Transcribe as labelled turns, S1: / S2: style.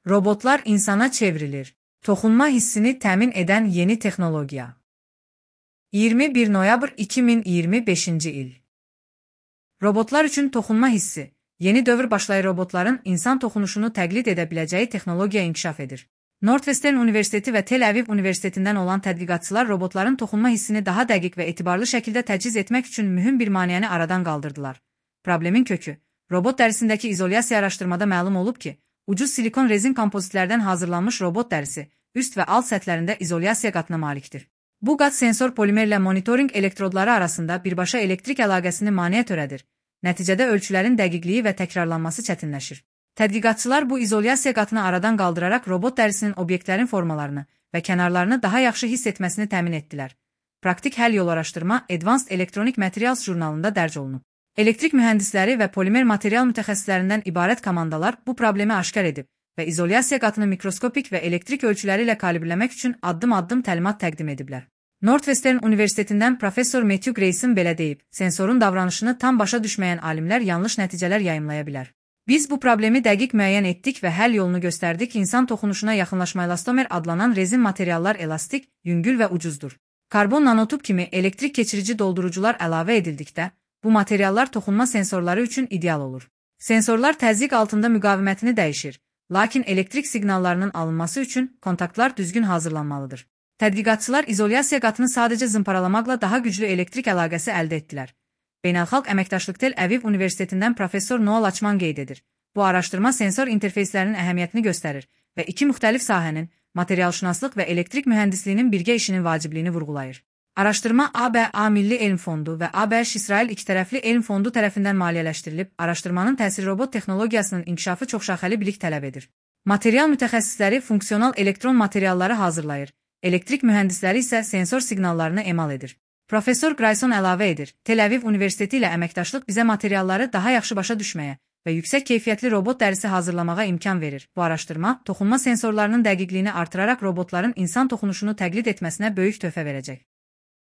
S1: Robotlar insana çevrilir. Toxunma hissini təmin edən yeni texnologiya. 21 noyabr 2025-ci il. Robotlar üçün toxunma hissi. Yeni dövr başlayır, robotların insan toxunuşunu təqlid edə biləcəyi texnologiya inkişaf edir. Northwestern Universiteti və Tel Aviv Universitetindən olan tədqiqatçılar robotların toxunma hissini daha dəqiq və etibarlı şəkildə təchiz etmək üçün mühüm bir maneəni aradan qaldırdılar. Problemin kökü. Robot dərisindəki izolyasiya araşdırmada məlum olub ki, ucuz silikon rezin kompozitlərdən hazırlanmış robot dərisi üst və alt səthlərində izolyasiya qatına malikdir. Bu qat sensor polimerlə monitoring elektrodları arasında birbaşa elektrik əlaqəsini maneə törədir. Nəticədə ölçülərin dəqiqliyi və təkrarlanması çətinləşir. Tədqiqatçılar bu izolyasiya qatını aradan qaldıraraq robot dərisinin obyektlərin formalarını və kənarlarını daha yaxşı hiss etməsini təmin etdilər. Praktik həll yol araşdırma Advanced Electronic Materials jurnalında dərc olunub. Elektrik mühəndisləri və polimer material mütəxəssislərindən ibarət komandalar bu problemi aşkar edib və izolyasiya qatını mikroskopik və elektrik ölçüləri ilə kalibrləmək üçün addım-addım təlimat təqdim ediblər. Northwestern Universitetindən professor Matthew Grayson belə deyib, sensorun davranışını tam başa düşməyən alimlər yanlış nəticələr yayımlaya bilər. Biz bu problemi dəqiq müəyyən etdik və həll yolunu göstərdik. İnsan toxunuşuna yaxınlaşma elastomer adlanan rezin materiallar elastik, yüngül və ucuzdur. Karbon nanotub kimi elektrik keçirici doldurucular əlavə edildikdə, bu materiallar toxunma sensorları üçün ideal olur. Sensorlar təzyiq altında müqavimətini dəyişir, lakin elektrik siqnallarının alınması üçün kontaktlar düzgün hazırlanmalıdır. Tədqiqatçılar izolyasiya qatını sadəcə zımparalamaqla daha güclü elektrik əlaqəsi əldə etdilər. Beynəlxalq əməkdaşlıq Tel Aviv Universitetindən professor Noah Lachman qeyd edir. Bu araşdırma sensor interfeyslərinin əhəmiyyətini göstərir və iki müxtəlif sahənin, materialşünaslıq və elektrik mühəndisliyinin birgə işinin vacibliyini vurğulayır. Araşdırma ABA Milli Elm Fondu və ABŞ-İsrail ikitərəfli elm fondu tərəfindən maliyyələşdirilib. Araşdırmanın təsiri robot texnologiyasının inkişafı çoxşaxəli bilik tələb edir. Material mütəxəssisləri funksional elektron materialları hazırlayır. Elektrik mühəndisləri isə sensor siqnallarını emal edir. Professor Grayson əlavə edir, Tel Aviv Universiteti ilə əməkdaşlıq bizə materialları daha yaxşı başa düşməyə və yüksək keyfiyyətli robot dərisi hazırlamağa imkan verir. Bu araşdırma, toxunma sensorlarının dəqiqliyini artıraraq robotların insan toxunuşunu təqlid etməsinə böyük töhfə verəcək.